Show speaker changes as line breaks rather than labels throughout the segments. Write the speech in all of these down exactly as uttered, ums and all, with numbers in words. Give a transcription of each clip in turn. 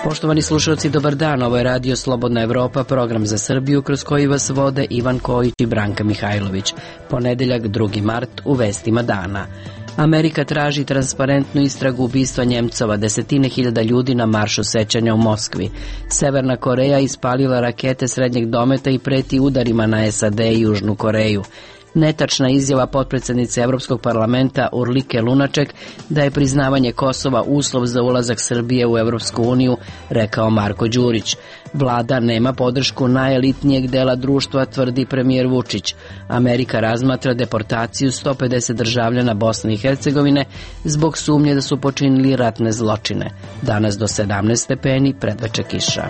Poštovani slušalci, dobar dan, ovo je Radio Slobodna Evropa, program za Srbiju kroz koji vas vode Ivan Kojić i Branka Mihajlović. Ponedeljak, drugi mart, u vestima dana. Amerika traži transparentnu istragu ubistva Njemcova, desetine hiljada ljudi na maršu sećanja u Moskvi. Severna Koreja ispalila rakete srednjeg dometa i preti udarima na S A D i Južnu Koreju. Netačna izjava potpredsednice Evropskog parlamenta Urlike Lunaček da je priznavanje Kosova uslov za ulazak Srbije u Evropsku uniju, rekao Marko Đurić. Vlada nema podršku najelitnijeg dela društva, tvrdi premijer Vučić. Amerika razmatra deportaciju sto pedeset državljana Bosne i Hercegovine zbog sumnje da su počinili ratne zločine. Danas do sedamnaest stepeni, predveče kiša.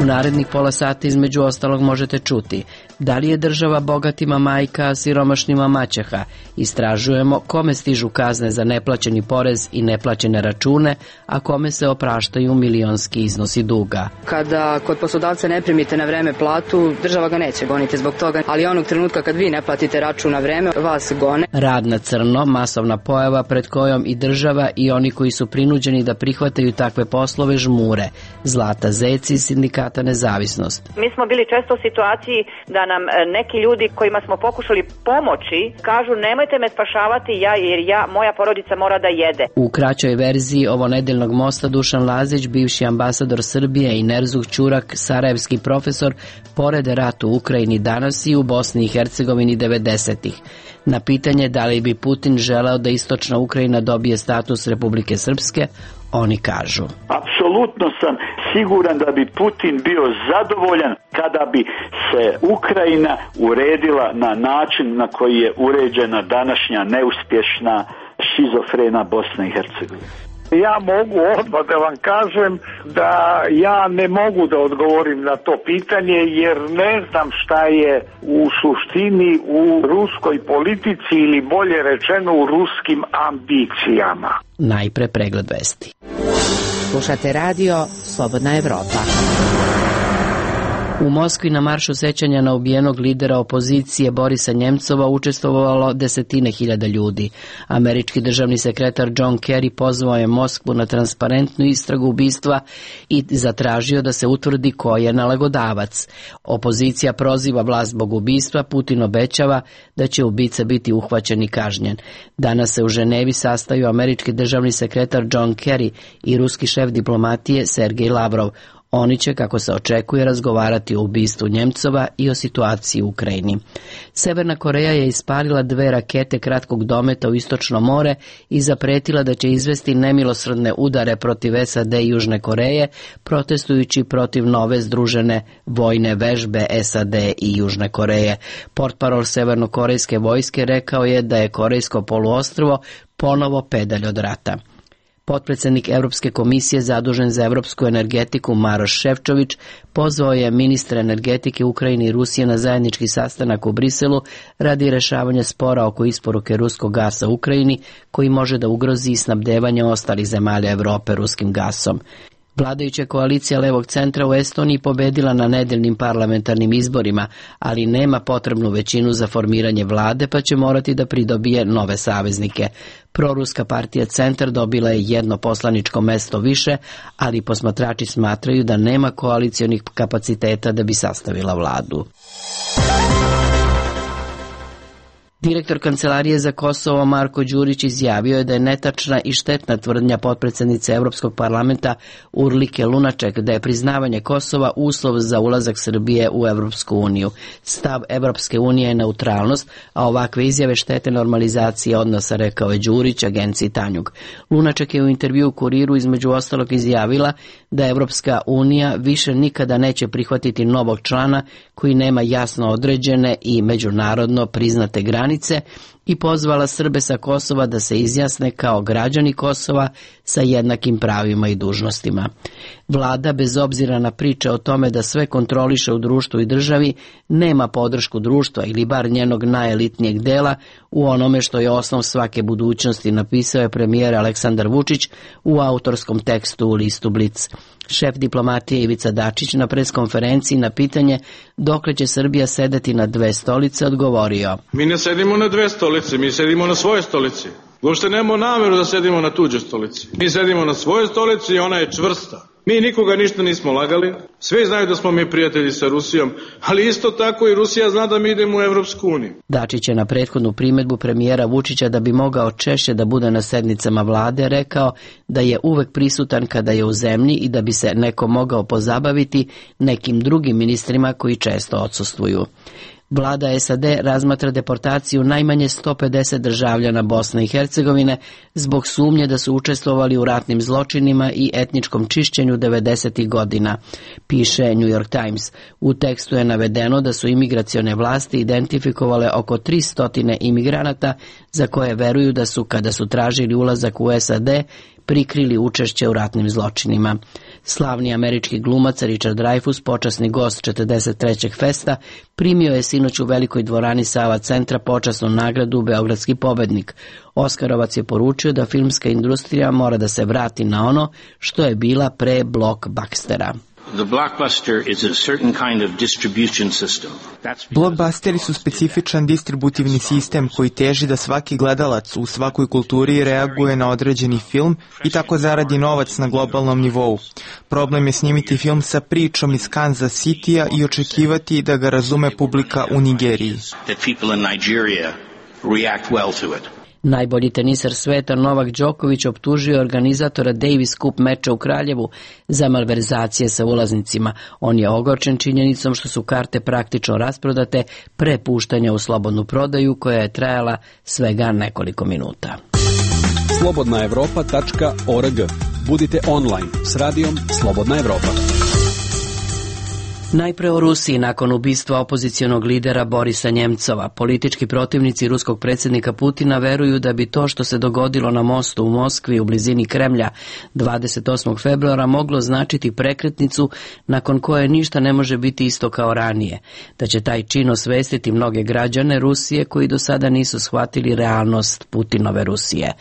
U narednih pola sata između ostalog možete čuti da li je država bogatima majka, a siromašnima maćeha. Istražujemo kome stižu kazne za neplaćeni porez i neplaćene račune, a kome se opraštaju milionski iznosi duga.
Kada kod poslodavca ne primite na vreme platu, država ga neće goniti zbog toga, ali onog trenutka kad vi ne platite račun na vreme, vas gone.
Rad na crno, masovna pojava pred kojom i država i oni koji su prinuđeni da prihvataju takve poslove žmure. Zlata Zec iz Sindikata Nezavisnost.
Mi smo bili često u situaciji da nam neki ljudi kojima smo pokušali pomoći kažu nemojte me spašavati ja jer ja, moja porodica mora da jede.
U kraćoj verziji ovo nedeljnog mosta Dušan Lazić, bivši ambasador Srbije, i Nerzuh Ćurak, sarajevski profesor, pored ratu u Ukrajini danas i u Bosni i Hercegovini devedesetih. Na pitanje da li bi Putin želeo da istočna Ukrajina dobije status Republike Srpske, oni kažu:
apsolutno sam siguran da bi Putin bio zadovoljan kada bi se Ukrajina uredila na način na koji je uređena današnja neuspješna šizofrena Bosna i Hercegovina.
Ja mogu odmah da vam kažem da ja ne mogu da odgovorim na to pitanje jer ne znam šta je u suštini u ruskoj politici ili bolje rečeno u ruskim ambicijama.
Najpre pregled vesti.
Slušate radio Slobodna Evropa.
U Moskvi na maršu sećanja na ubijenog lidera opozicije Borisa Njemcova učestvovalo desetine hiljada ljudi. Američki državni sekretar John Kerry pozvao je Moskvu na transparentnu istragu ubistva i zatražio da se utvrdi ko je nalogodavac. Opozicija proziva vlast zbog ubistva, Putin obećava da će ubica biti uhvaćen i kažnjen. Danas se u Ženevi sastaju američki državni sekretar John Kerry i ruski šef diplomatije Sergej Lavrov. Oni će, kako se očekuje, razgovarati o ubistvu Njemcova i o situaciji u Ukrajini. Severna Koreja je ispalila dve rakete kratkog dometa u Istočno more i zapretila da će izvesti nemilosrdne udare protiv S A D i Južne Koreje, protestujući protiv nove združene vojne vežbe S A D i Južne Koreje. Portparol severnokorejske vojske rekao je da je Korejsko poluostrvo ponovo pedalj od rata. Potpredsednik Evropske komisije zadužen za evropsku energetiku Maroš Šefčović pozvao je ministre energetike Ukrajine i Rusije na zajednički sastanak u Briselu radi rešavanja spora oko isporuke ruskog gasa u Ukrajini, koji može da ugrozi snabdevanje ostalih zemalja Evrope ruskim gasom. Vladajuća koalicija levog centra u Estoniji pobedila na nedeljnim parlamentarnim izborima, ali nema potrebnu većinu za formiranje vlade, pa će morati da pridobije nove saveznike. Proruska partija Centar dobila je jedno poslaničko mesto više, ali posmatrači smatraju da nema koalicionih kapaciteta da bi sastavila vladu. Direktor Kancelarije za Kosovo Marko Đurić izjavio je da je netačna i štetna tvrdnja potpredsednice Evropskog parlamenta Urlike Lunaček da je priznavanje Kosova uslov za ulazak Srbije u Evropsku uniju. Stav Evropske unije je neutralnost, a ovakve izjave štete normalizacije odnosa, rekao je Đurić agenciji Tanjug. Lunaček je u intervju u Kuriru između ostalog izjavila da Evropska unija više nikada neće prihvatiti novog člana koji nema jasno određene i međunarodno priznate granice i pozvala Srbe sa Kosova da se izjasne kao građani Kosova sa jednakim pravima i dužnostima. Vlada, bez obzira na priče o tome da sve kontroliše u društvu i državi, nema podršku društva ili bar njenog najelitnijeg dela u onome što je osnov svake budućnosti, napisao je premijer Aleksandar Vučić u autorskom tekstu u listu Blic. Šef diplomatije Ivica Dačić na preskonferenciji na pitanje dokle će Srbija sedeti na dve stolice odgovorio:
Mi ne sedimo na dve stolice, mi sedimo na svojoj stolici. Uopšte nemamo nameru da sedimo na tuđoj stolici. Mi sedimo na svojoj stolici i ona je čvrsta. Mi nikoga ništa nismo lagali, svi znaju da smo mi prijatelji sa Rusijom, ali isto tako i Rusija zna da mi idemo u Evropsku uniju.
Dačić je na prethodnu primedbu premijera Vučića da bi mogao češće da bude na sednicama vlade rekao da je uvek prisutan kada je u zemlji i da bi se neko mogao pozabaviti nekim drugim ministrima koji često odsustvuju. Vlada S A D razmatra deportaciju najmanje sto pedeset državljana Bosne i Hercegovine zbog sumnje da su učestvovali u ratnim zločinima i etničkom čišćenju devedesetih godina, piše New York Times. U tekstu je navedeno da su imigracione vlasti identifikovale oko tristo imigranata za koje veruju da su, kada su tražili ulazak u S A D, prikrili učešće u ratnim zločinima. Slavni američki glumac Richard Dreyfuss, počasni gost četrdeset trećeg festa, primio je sinoć u velikoj dvorani Sava centra počasnu nagradu Beogradski pobednik. Oskarovac je poručio da filmska industrija mora da se vrati na ono što je bila pre blockbustera.
Blockbusteri su specifičan distributivni sistem koji teži da svaki gledalac u svakoj kulturi reaguje na određeni film i tako zaradi novac na globalnom nivou. Problem je snimiti film sa pričom iz Kansas Citya i očekivati da ga razume publika u Nigeriji.
Najbolji teniser sveta Novak Đoković optužio organizatora Davis Cup meča u Kraljevu za malverzacije sa ulaznicima. On je ogorčen činjenicom što su karte praktično rasprodate pre puštanja u slobodnu prodaju koja je trajala svega nekoliko minuta.
slobodna evropa tačka org. Budite online s radijom Slobodna Evropa.
Najpre o Rusiji. Nakon ubistva opozicionog lidera Borisa Njemcova, politički protivnici ruskog predsjednika Putina veruju da bi to što se dogodilo na mostu u Moskvi u blizini Kremlja dvadeset osmog februara moglo značiti prekretnicu nakon koje ništa ne može biti isto kao ranije, da će taj čin osvestiti mnoge građane Rusije koji do sada nisu shvatili realnost Putinove Rusije.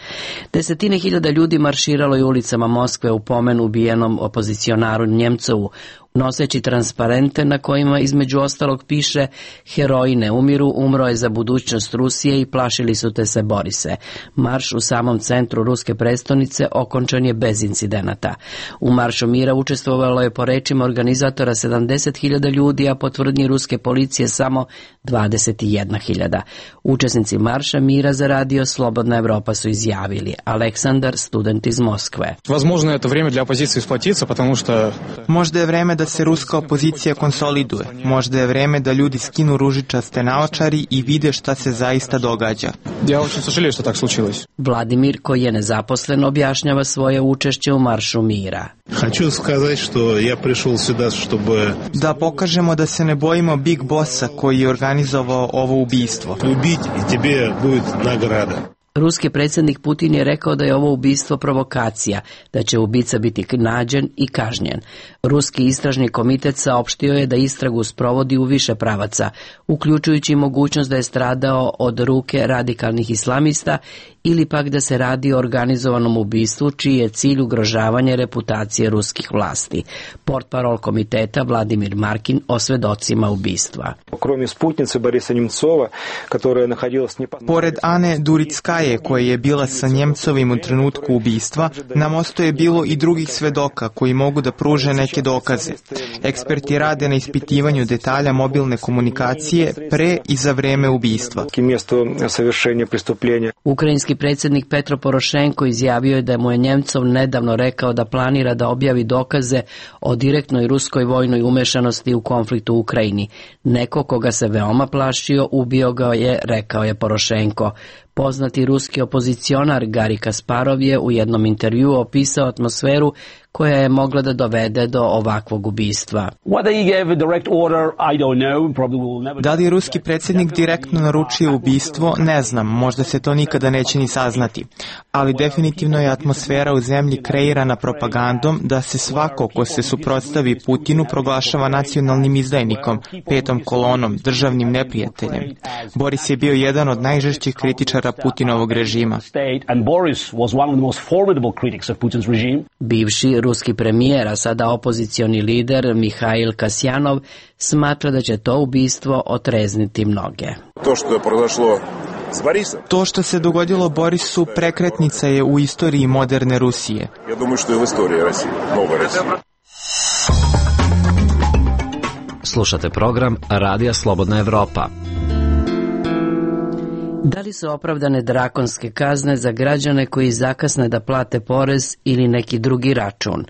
Desetine hiljada ljudi marširalo je ulicama Moskve u pomen ubijenom opozicionaru Njemcovu, noseći transparente na kojima između ostalog piše "Heroji ne umiru, umro je za budućnost Rusije i plašili su te se Borise". Marš u samom centru ruske prestonice okončan je bez incidenata. U Maršu mira učestvovalo je po rečima organizatora sedamdeset hiljada ljudi, a po tvrdnji ruske policije samo dvadeset jedna hiljada. Učesnici Marša mira za radio Slobodna Evropa su izjavili. Aleksandar, student iz Moskve.
Возможно, это время для оппозиции сплотиться, потому что
Možda je vreme da se ruska opozicija konsoliduje. Možda je vreme da ljudi skinu ružičaste naočari i vide šta se zaista događa.
Ja очень сожалею, что так случилось.
Vladimir, koji je nezaposlen, objašnjava svoje učešće u Maršu mira.
Хочу сказать, что я пришел сюда, чтобы
Da pokažemo da se ne bojimo Big Bossa koji je organizovao ovo ubistvo.
убить, и тебе будет награда.
Ruski predsjednik Putin je rekao da je ovo ubistvo provokacija, da će ubica biti nađen i kažnjen. Ruski istražni komitet saopštio je da istragu sprovodi u više pravaca, uključujući mogućnost da je stradao od ruke radikalnih islamista ili pak da se radi o organizovanom ubistvu čiji je cilj ugrožavanje reputacije ruskih vlasti. Portparol komiteta Vladimir Markin o svedocima ubistva.
Pored Ane Durickaje, koja je bila sa Njemcovim u trenutku ubistva, na mostu je bilo i drugih svedoka koji mogu da pruže neke dokaze. Eksperti rade na ispitivanju detalja mobilne komunikacije pre i za vreme ubistva.
Ukrajinski predsjednik Petro Porošenko izjavio je da mu je Njemcov nedavno rekao da planira da objavi dokaze o direktnoj ruskoj vojnoj umešanosti u konfliktu u Ukrajini. Neko koga se veoma plašio, ubio ga je, rekao je Porošenko. Poznati ruski opozicionar Gari Kasparov je u jednom intervjuu opisao atmosferu koja je mogla da dovede do ovakvog ubistva.
Da li je ruski predsjednik direktno naručio ubistvo, ne znam, možda se to nikada neće ni saznati. Ali definitivno je atmosfera u zemlji kreirana propagandom da se svako ko se suprotstavi Putinu proglašava nacionalnim izdajnikom, petom kolonom, državnim neprijateljem. Boris je bio jedan od najžešćih kritičara Putinovog režima.
Bivši ruski premijer, a sada opozicioni lider Mihail Kasjanov smatra da će to ubistvo otrezniti mnoge.
To što je prošlo s Борисом.
To što se dogodilo Borisu prekretnica je u istoriji moderne Rusije.
Ja думаю, što je u istoriji Rusije, nova Rusija.
Slušate program Radija Slobodna Evropa.
Da li su opravdane drakonske kazne za građane koji zakasne da plate porez ili neki drugi račun?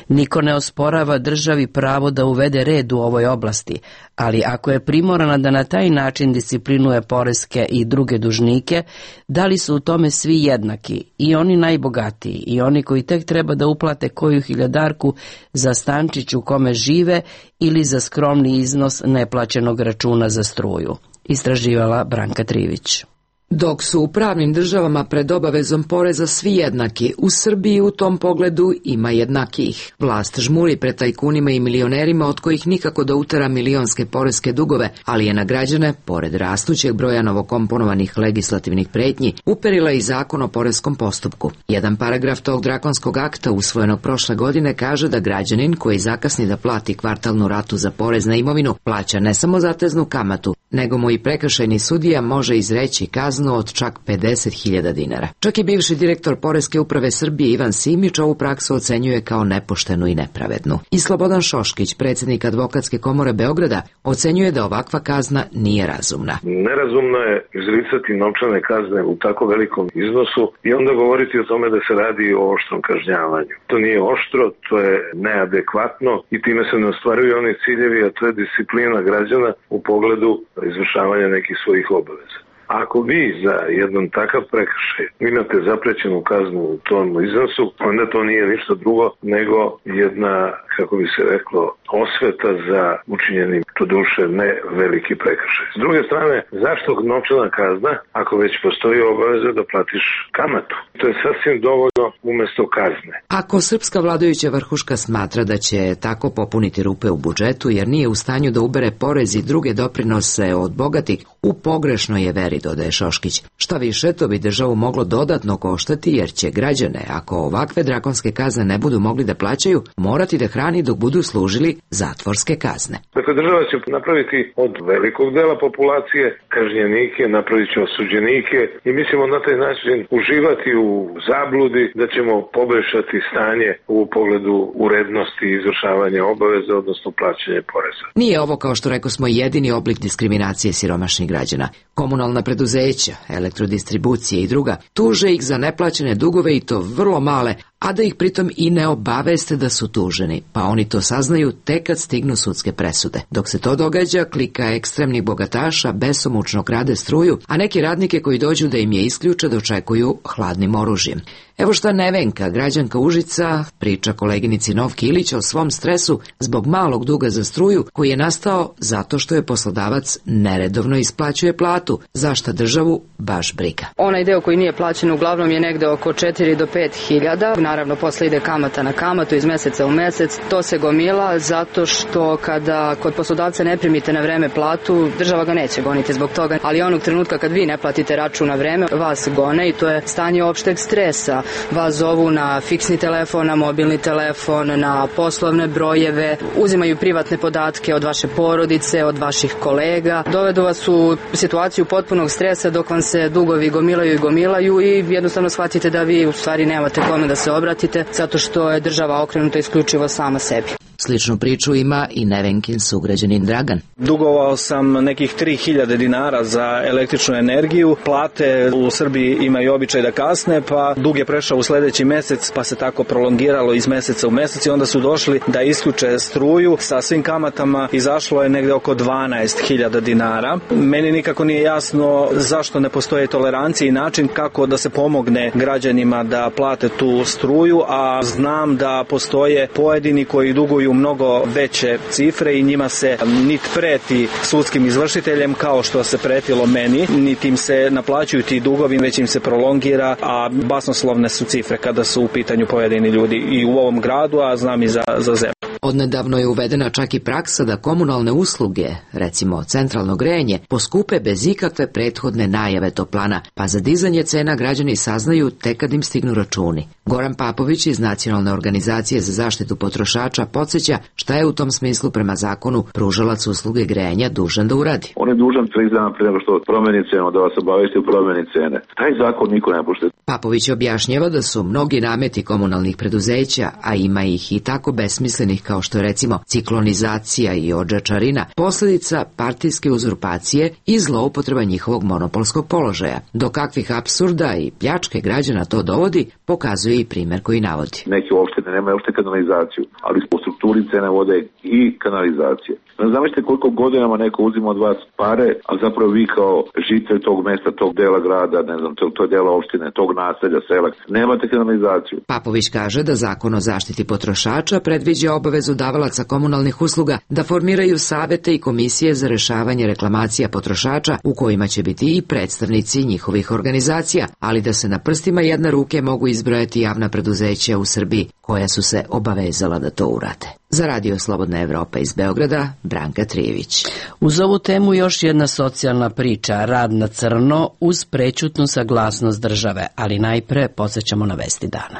Niko ne osporava državi pravo da uvede red u ovoj oblasti, ali ako je primorana da na taj način disciplinuje poreske i druge dužnike, da li su u tome svi jednaki, i oni najbogatiji, i oni koji tek treba da uplate koju hiljadarku za stančić u kome žive ili za skromni iznos neplaćenog računa za struju? Istraživala Branka Trivić.
Dok su u pravnim državama pred obavezom poreza svi jednaki, u Srbiji u tom pogledu ima jednakijih. Vlast žmuri pred tajkunima i milionerima od kojih nikako da utera milionske poreske dugove, ali je na građane, pored rastućeg broja novokomponovanih legislativnih pretnji, uperila i zakon o poreskom postupku. Jedan paragraf tog drakonskog akta usvojenog prošle godine kaže da građanin koji zakasni da plati kvartalnu ratu za porez na imovinu plaća ne samo zateznu kamatu, nego mu i prekršajni sudija može izreći kaznu od čak pedeset hiljada dinara. Čak i bivši direktor Poreske uprave Srbije Ivan Simić ovu praksu ocenjuje kao nepoštenu i nepravednu. I Slobodan Šoškić, predsjednik Advokatske komore Beograda, ocenjuje da ovakva kazna nije razumna.
Nerazumno je izricati novčane kazne u tako velikom iznosu i onda govoriti o tome da se radi o oštrom kažnjavanju. To nije oštro, to je neadekvatno i time se ne ostvaruju oni ciljevi, a to je disciplina građana u pogledu izvršavanja nekih svojih obaveza. Ako vi za jedan takav prekršaj imate zaprećenu kaznu u tom iznosu, onda to nije ništa drugo nego jedna, kako bi se reklo, osveta za učinjeni, to duše, ne veliki prekršaj. S druge strane, zašto novčana kazna ako već postoji obaveza da platiš kamatu? To je sasvim dovoljno umesto kazne.
Ako srpska vladajuća vrhuška smatra da će tako popuniti rupe u budžetu jer nije u stanju da ubere porez i druge doprinose od bogatih, u pogrešnoj je veri, dodaje Šoškić. Šta više, to bi državu moglo dodatno koštati jer će građane, ako ovakve drakonske kazne ne budu mogli da plaćaju, morati da hrani dok budu služili zatvorske kazne.
Dakle, država će napraviti od velikog dela populacije kažnjenike, napravit će osuđenike i mi ćemo na taj način uživati u zabludi da ćemo poboljšati stanje u pogledu urednosti izvršavanja obaveza, odnosno plaćanja poreza.
Nije ovo, kao što rekao smo, jedini oblik diskriminacije siromašnih građana. Komunalna preduzeća, elektrodistribucije i druga tuže ih za neplaćene dugove i to vrlo male, a da ih pritom i ne obaveste da su tuženi, pa oni to saznaju tek kad stignu sudske presude. Dok se to događa, klika ekstremnih bogataša besomučno krade struju, a neki radnike koji dođu da im je isključe dočekuju hladnim oružjem. Evo šta Nevenka, građanka Užica, priča koleginici Novki Ilić o svom stresu zbog malog duga za struju koji je nastao zato što je poslodavac neredovno isplaćuje platu, za šta državu baš briga.
Onaj deo koji nije plaćen uglavnom je negde oko četiri do pet hiljada. Naravno, posle ide kamata na kamatu iz meseca u mesec. To se gomila zato što kada kod poslodavca ne primite na vreme platu, država ga neće goniti zbog toga. Ali onog trenutka kad vi ne platite račun na vreme, vas gone i to je stanje opšteg stresa. Vas zovu na fiksni telefon, na mobilni telefon, na poslovne brojeve, uzimaju privatne podatke od vaše porodice, od vaših kolega. Dovedu vas u situaciju potpunog stresa dok vam se dugovi gomilaju i gomilaju i jednostavno shvatite da vi u stvari nemate kome da se obratite zato što je država okrenuta isključivo sama sebi.
Sličnu priču ima i Nevenkin sugrađanin Dragan.
Dugovao sam nekih tri hiljade dinara za električnu energiju. Plate u Srbiji imaju običaj da kasne, pa dug je prešao u sledeći mesec, pa se tako prolongiralo iz meseca u mesec i onda su došli da isključe struju sa svim kamatama. Izašlo je negde oko dvanaest hiljada dinara. Meni nikako nije jasno zašto ne postoje tolerancija i način kako da se pomogne građanima da plate tu struju, a znam da postoje pojedini koji duguju mnogo veće cifre i njima se nit preti sudskim izvršiteljem kao što se pretilo meni, niti im se naplaćuju ti dugovi, već im se prolongira, a basnoslovne su cifre kada su u pitanju pojedini ljudi i u ovom gradu, a znam i za, za zemlju.
Odnedavno je uvedena čak i praksa da komunalne usluge, recimo centralno grejanje, poskupe bez ikakve prethodne najave toplana, pa za dizanje cena građani saznaju tek kad im stignu računi. Goran Papović iz Nacionalne organizacije za zaštitu potrošača podsjeća šta je u tom smislu prema zakonu pružalac usluge grejanja dužan da uradi.
On je dužan tri dana prije nego što promeni cenu, da vas obavesti u promeni cene. Taj zakon niko ne poštuje.
Papović objašnjava da su mnogi nameti komunalnih preduzeća, a ima ih i tako besmislenih kao što je recimo ciklonizacija i odžačarina, posljedica partijske uzurpacije i zloupotreba njihovog monopolskog položaja. Do kakvih apsurda i pljačke građana to dovodi, pokazuje i primjer koji navodi.
Neke opštine nemaju uopšte kanalizaciju, ali po strukturi cene vode i kanalizacije. Zamislite koliko godinama neko uzima od vas pare, a zapravo vi kao žitelj tog mesta, tog dela grada, ne znam, tog, tog dela opštine, tog naselja, sela, nemate kanalizaciju.
Papović kaže da Zakon o zaštiti potrošača predviđa obavezu davalaca komunalnih usluga da formiraju savete i komisije za rešavanje reklamacija potrošača u kojima će biti i predstavnici njihovih organizacija, ali da se na prstima jedne ruke mogu izbrojati javna preduzeća u Srbiji koja su se obavezala da to urade. Za Radio Slobodna Evropa iz Beograda, Branka Trijević.
Uz ovu temu još jedna socijalna priča, rad na crno uz prećutnu saglasnost države, ali najpre podsjećamo na vesti dana.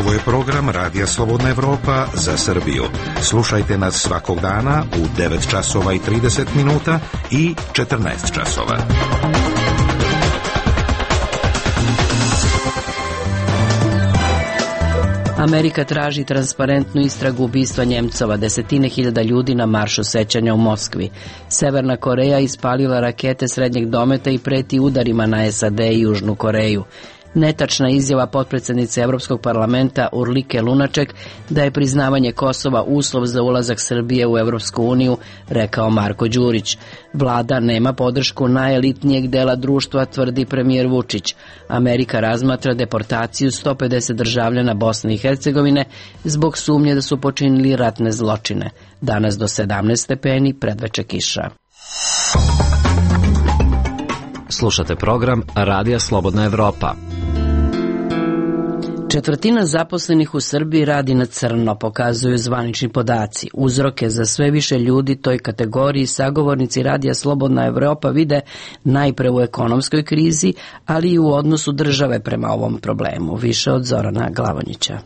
Ovo je program Radija Slobodna Evropa za Srbiju. Slušajte nas svakog dana u devet časova i trideset minuta i četrnaest časova.
Amerika traži transparentnu istragu ubistva Njemcova, desetine hiljada ljudi na maršu sećanja u Moskvi. Severna Koreja ispalila rakete srednjeg dometa i preti udarima na S A D i Južnu Koreju. Netačna izjava potpredsjednice Evropskog parlamenta Urlike Lunaček da je priznavanje Kosova uslov za ulazak Srbije u Evropsku uniju, rekao Marko Đurić. Vlada nema podršku najelitnijeg dela društva, tvrdi premijer Vučić. Amerika razmatra deportaciju sto pedeset državljana Bosne i Hercegovine zbog sumnje da su počinili ratne zločine. Danas do sedamnaest stepeni, predveče kiša.
Slušate program Radija Slobodna Evropa.
Četvrtina zaposlenih u Srbiji radi na crno, pokazuju zvanični podaci. Uzroke za sve više ljudi toj kategoriji sagovornici Radija Slobodna Evropa vide najpre u ekonomskoj krizi, ali i u odnosu države prema ovom problemu. Više od Zorana Glavonjića.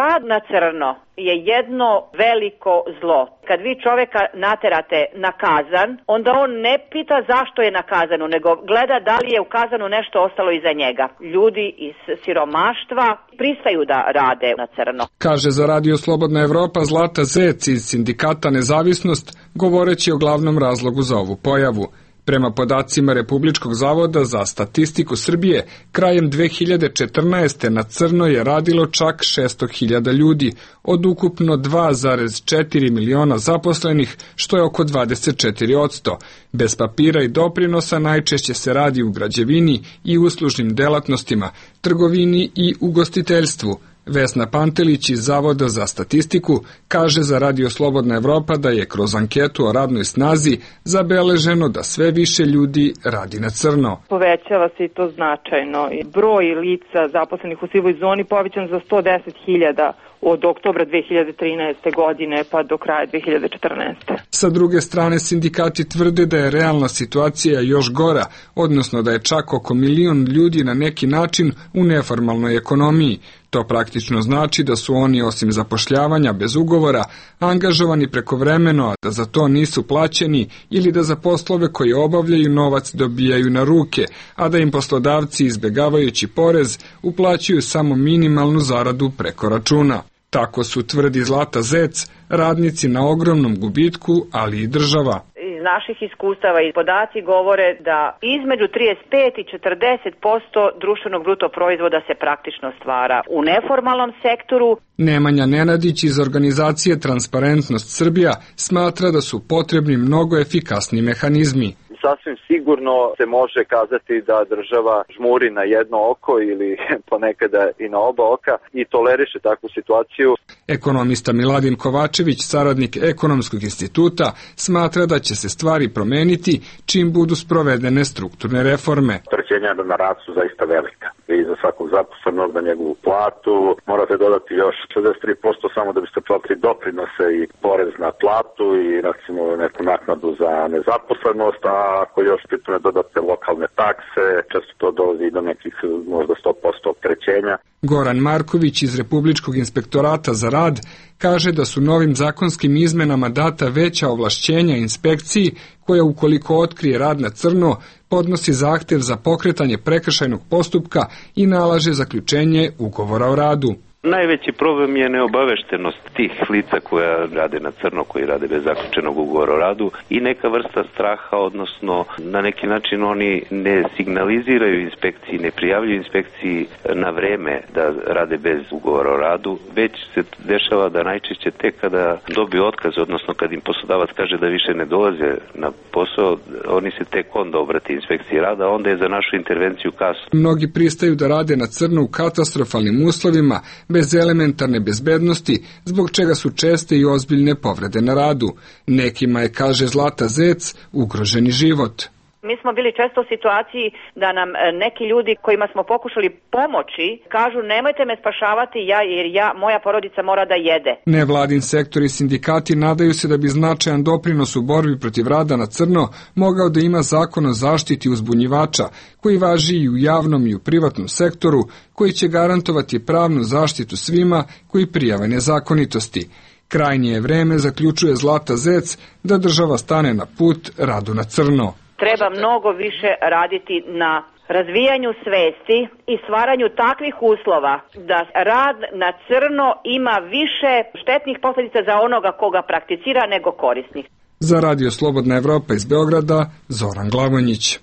Rad na crno je jedno veliko zlo. Kad vi čoveka naterate na kazan, onda on ne pita zašto je na kazanu, nego gleda da li je u kazanu nešto ostalo iza njega. Ljudi iz siromaštva pristaju da rade na crno.
Kaže za Radio Slobodna Evropa Zlata Zec iz sindikata Nezavisnost, govoreći o glavnom razlogu za ovu pojavu. Prema podacima Republičkog zavoda za statistiku Srbije, krajem dve hiljade četrnaeste. na crno je radilo čak šesto hiljada ljudi, od ukupno dva zarez četiri miliona zaposlenih, što je oko dvadeset četiri posto. Bez papira i doprinosa najčešće se radi u građevini i uslužnim delatnostima, trgovini i ugostiteljstvu. Vesna Pantelić iz Zavoda za statistiku kaže za Radio Slobodna Evropa da je kroz anketu o radnoj snazi zabeleženo da sve više ljudi radi na crno.
Povećava se i to značajno. Broj lica zaposlenih u sivoj zoni povećan za sto deset hiljada od oktobra dve hiljade trinaeste. godine pa do kraja dve hiljade četrnaeste.
Sa druge strane, sindikati tvrde da je realna situacija još gora, odnosno da je čak oko milion ljudi na neki način u neformalnoj ekonomiji. To praktično znači da su oni osim zapošljavanja bez ugovora angažovani prekovremeno, a da za to nisu plaćeni ili da za poslove koje obavljaju novac dobijaju na ruke, a da im poslodavci izbegavajući porez uplaćuju samo minimalnu zaradu preko računa. Tako su, tvrdi Zlata Zec, radnici na ogromnom gubitku, ali i država.
Iz naših iskustava i podaci govore da između trideset pet i četrdeset posto društvenog bruto proizvoda se praktično stvara u neformalnom sektoru.
Nemanja Nenadić iz organizacije Transparentnost Srbija smatra da su potrebni mnogo efikasni mehanizmi.
Sasvim sigurno se može kazati da država žmuri na jedno oko ili ponekada i na oba oka i toleriše takvu situaciju.
Ekonomista Miladin Kovačević, saradnik Ekonomskog instituta, smatra da će se stvari promeniti čim budu sprovedene strukturne reforme.
Opterećenja na rad su zaista velika. I za svakog zaposlenog na njegovu platu morate dodati još šezdeset tri posto samo da biste platili doprinose i porez na platu i recimo neku naknadu za nezaposlenost, a ako još pitune dodate lokalne takse, često to dolazi do nekih možda sto posto opterećenja.
Goran Marković iz Republičkog inspektorata za rad kaže da su novim zakonskim izmenama data veća ovlašćenja inspekciji koja ukoliko otkrije rad na crno podnosi zahtev za pokretanje prekršajnog postupka i nalaže zaključenje ugovora o radu.
Najveći problem je neobaveštenost tih lica koja rade na crno, koji rade bez zaključenog ugovora o radu i neka vrsta straha, odnosno na neki način oni ne signaliziraju inspekciji, ne prijavljuju inspekciji na vreme da rade bez ugovora o radu, već se dešava da najčešće tek kada dobiju otkaz, odnosno kad im poslodavac kaže da više ne dolaze na posao, oni se tek onda obrate inspekciji rada, onda je za našu intervenciju kasno.
Mnogi pristaju da rade na crno u katastrofalnim uslovima, bez elementarne bezbednosti, zbog čega su česte i ozbiljne povrede na radu. Nekima je, kaže Zlata Zec, ugroženi život.
Mi smo bili često u situaciji da nam neki ljudi kojima smo pokušali pomoći kažu nemojte me spašavati ja jer ja, moja porodica mora da jede.
Nevladin sektor i sindikati nadaju se da bi značajan doprinos u borbi protiv rada na crno mogao da ima zakon o zaštiti uzbunjivača koji važi i u javnom i u privatnom sektoru, koji će garantovati pravnu zaštitu svima koji prijave nezakonitosti. Krajnje je vreme, zaključuje Zlata Zec, da država stane na put radu na crno.
Treba mnogo više raditi na razvijanju svesti i stvaranju takvih uslova da rad na crno ima više štetnih posljedica za onoga koga prakticira nego korisnih.
Za Radio Slobodna Evropa iz Beograda, Zoran Glavonjić.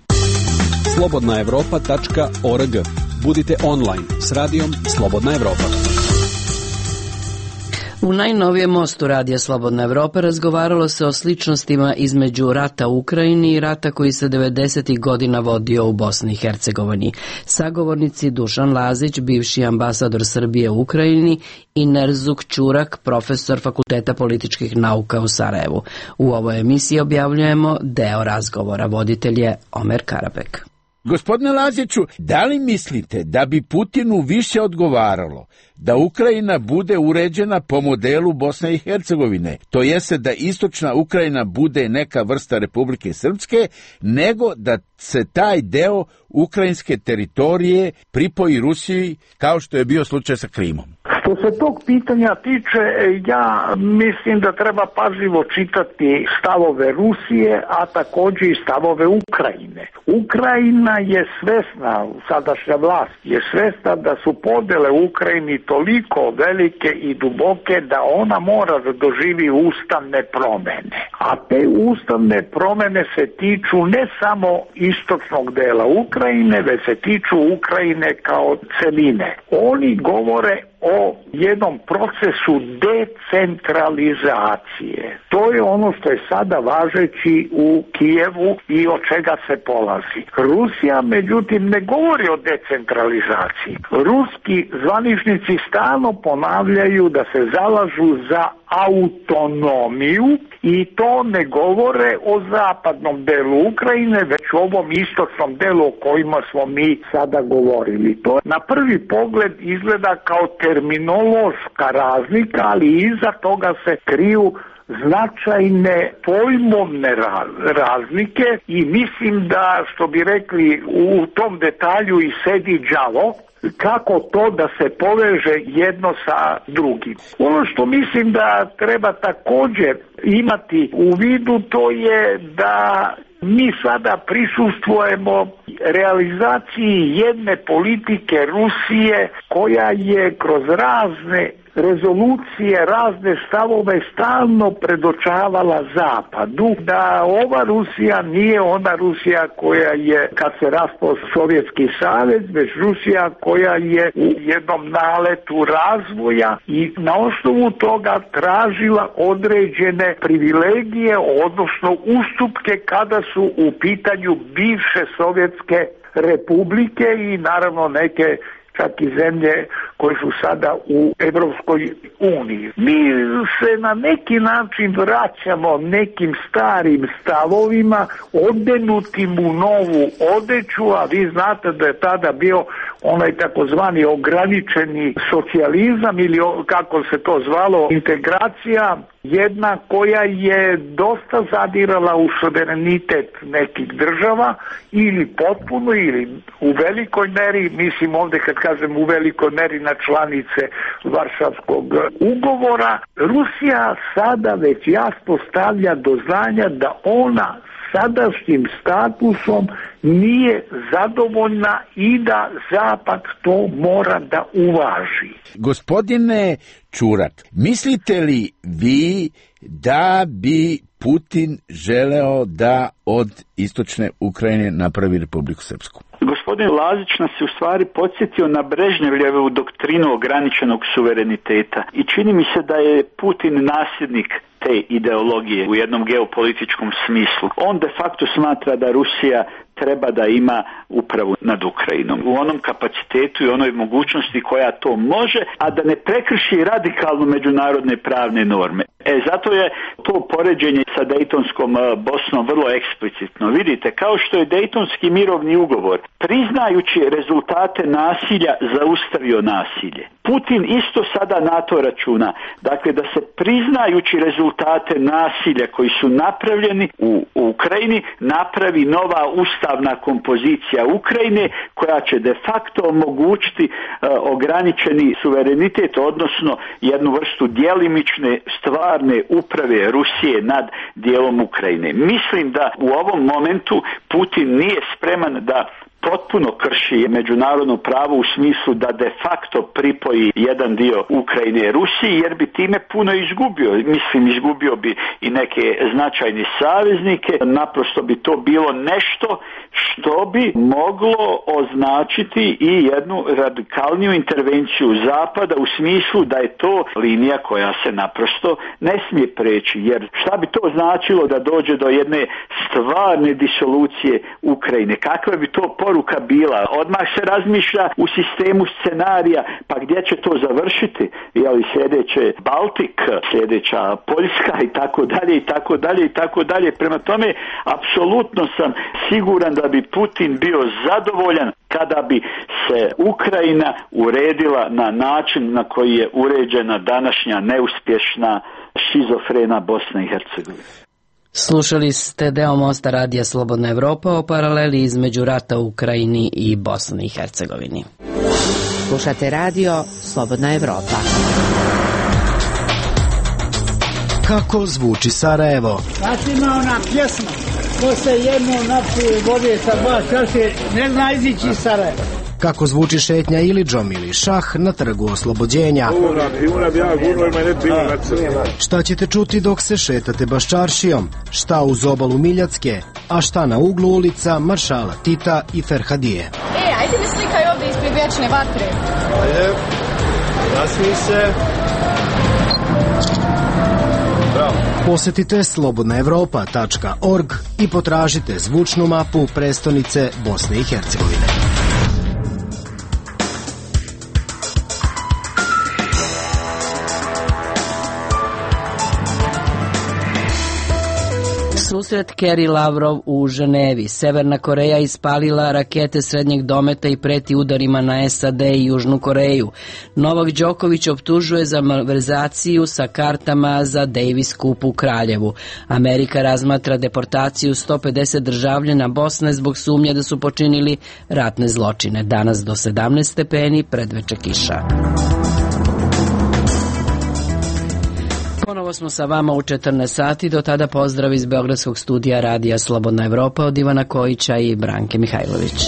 slobodna evropa tačka org. Budite online s radijom Slobodna Evropa.
U najnovijem mostu Radija Slobodna Evropa razgovaralo se o sličnostima između rata u Ukrajini i rata koji se devedesetih godina vodio u Bosni i Hercegovini. Sagovornici Dušan Lazić, bivši ambasador Srbije u Ukrajini, i Nerzuk Ćurak, profesor Fakulteta političkih nauka u Sarajevu. U ovoj emisiji objavljujemo deo razgovora. Voditelj je Omer Karabek.
Gospodine Laziću, da li mislite da bi Putinu više odgovaralo da Ukrajina bude uređena po modelu Bosne i Hercegovine, to jeste da istočna Ukrajina bude neka vrsta Republike Srpske, nego da se taj deo ukrajinske teritorije pripoji Rusiji, kao što je bio slučaj sa Krimom?
Što se tog pitanja tiče, ja mislim da treba pažljivo čitati stavove Rusije, a također i stavove Ukrajine. Ukrajina je svesna, sadašnja vlast je svesna da su podele u Ukrajini toliko velike i duboke da ona mora da doživi ustavne promene. A te ustavne promene se tiču ne samo istočnog dela Ukrajine, već se tiču Ukrajine kao celine. Oni govore o jednom procesu decentralizacije. To je ono što je sada važeći u Kijevu i od čega se polazi. Rusija, međutim, ne govori o decentralizaciji. Ruski zvaničnici stalno ponavljaju da se zalažu za autonomiju i to ne govore o zapadnom delu Ukrajine, već o ovom istočnom delu o kojima smo mi sada govorili. To na prvi pogled izgleda kao terminološka razlika, ali iza toga se kriju značajne pojmovne razlike i mislim da, što bi rekli, u tom detalju i sedi đavo, kako to da se poveže jedno sa drugim. Ono što mislim da treba također imati u vidu, to je da mi sada prisustvujemo realizaciji jedne politike Rusije koja je kroz razne rezolucije, razne stavove stalno predočavala Zapadu da ova Rusija nije ona Rusija koja je kad se raspao Sovjetski savez, već Rusija koja je u jednom naletu razvoja i na osnovu toga tražila određene privilegije, odnosno ustupke kada su u pitanju bivše sovjetske republike i naravno neke čak i zemlje koje su sada u Evropskoj uniji. Mi se na neki način vraćamo nekim starim stavovima, odenutim u novu odeću, a vi znate da je tada bio onaj takozvani ograničeni socijalizam ili kako se to zvalo, integracija, jedna koja je dosta zadirala u suverenitet nekih država ili potpuno ili u velikoj meri, mislim ovdje kad kažem u velikoj meri na članice Varšavskog ugovora. Rusija sada već jasno stavlja do znanja da ona sadašnjim statusom nije zadovoljna i da Zapad to mora da uvaži.
Gospodine Čurak, mislite li vi da bi Putin želeo da od istočne Ukrajine napravi Republiku Srpsku?
Gospodin Lazić nas je u stvari podsjetio na Brežnjevljevu doktrinu ograničenog suvereniteta i čini mi se da je Putin nasljednik te ideologije u jednom geopolitičkom smislu. On de facto smatra da Rusija treba da ima upravu nad Ukrajinom u onom kapacitetu i onoj mogućnosti koja to može, a da ne prekrši radikalno međunarodne pravne norme. E, zato je to poređenje sa Dejtonskom Bosnom vrlo eksplicitno. Vidite, kao što je Dejtonski mirovni ugovor, priznajući rezultate nasilja, zaustavio nasilje. Putin isto sada na to računa. Dakle, da se priznajući rezultate nasilja koji su napravljeni u, u Ukrajini, napravi nova ustavna kompozicija Ukrajine koja će de facto omogućiti uh, ograničeni suverenitet, odnosno jednu vrstu djelimične stvarne uprave Rusije nad dijelom Ukrajine. Mislim da u ovom momentu Putin nije spreman da potpuno krši međunarodno pravo u smislu da de facto pripoji jedan dio Ukrajine Rusiji, jer bi time puno izgubio. Mislim, izgubio bi i neke značajne saveznike. Naprosto bi to bilo nešto što bi moglo označiti i jednu radikalniju intervenciju Zapada u smislu da je to linija koja se naprosto ne smije preći. Jer šta bi to značilo da dođe do jedne stvarne disolucije Ukrajine? Kakva bi to poruka bila? Odmah se razmišlja u sistemu scenarija, pa gdje će to završiti? Je li sljedeće Baltik, sljedeća Poljska i tako dalje i tako dalje i tako dalje. Prema tome, apsolutno sam siguran da bi Putin bio zadovoljan kada bi se Ukrajina uredila na način na koji je uređena današnja neuspješna šizofrena Bosna i Hercegovina.
Slušali ste deo mosta radija Slobodna Evropa o paraleli između rata u Ukrajini i Bosni i Hercegovini.
Slušate radio Slobodna Evropa.
Kako zvuči Sarajevo?
Znači ima ona pjesma, ko se jedno napije vode sa dva čaše, ne zna izići iz Sarajeva.
Kako zvuči šetnja Ilidžom ili šah na trgu Oslobođenja? Šta ćete čuti dok se šetate Baščaršijom? Šta uz obalu Miljacke? A šta na uglu ulica Maršala Tita i Ferhadije?
E, ajde mi slikaj ovdje ispred vječne vatre.
Ajde, nasmij se. Bravo.
Posetite slobodna evropa tačka org i potražite zvučnu mapu prestonice Bosne i Hercegovine.
Susret Kerry Lavrov u Ženevi. Severna Koreja ispalila rakete srednjeg dometa i preti udarima na S A D i Južnu Koreju. Novak Đoković optužuje za malverzaciju sa kartama za Davis Cup u Kraljevu. Amerika razmatra deportaciju sto pedeset državljana Bosne zbog sumnje da su počinili ratne zločine. Danas do sedamnaest stepeni, predveče kiša. Ponovo smo sa vama u četrnaest sati, do tada pozdrav iz Beogradskog studija radija Slobodna Evropa od Ivana Kojića i Branke Mihajlović.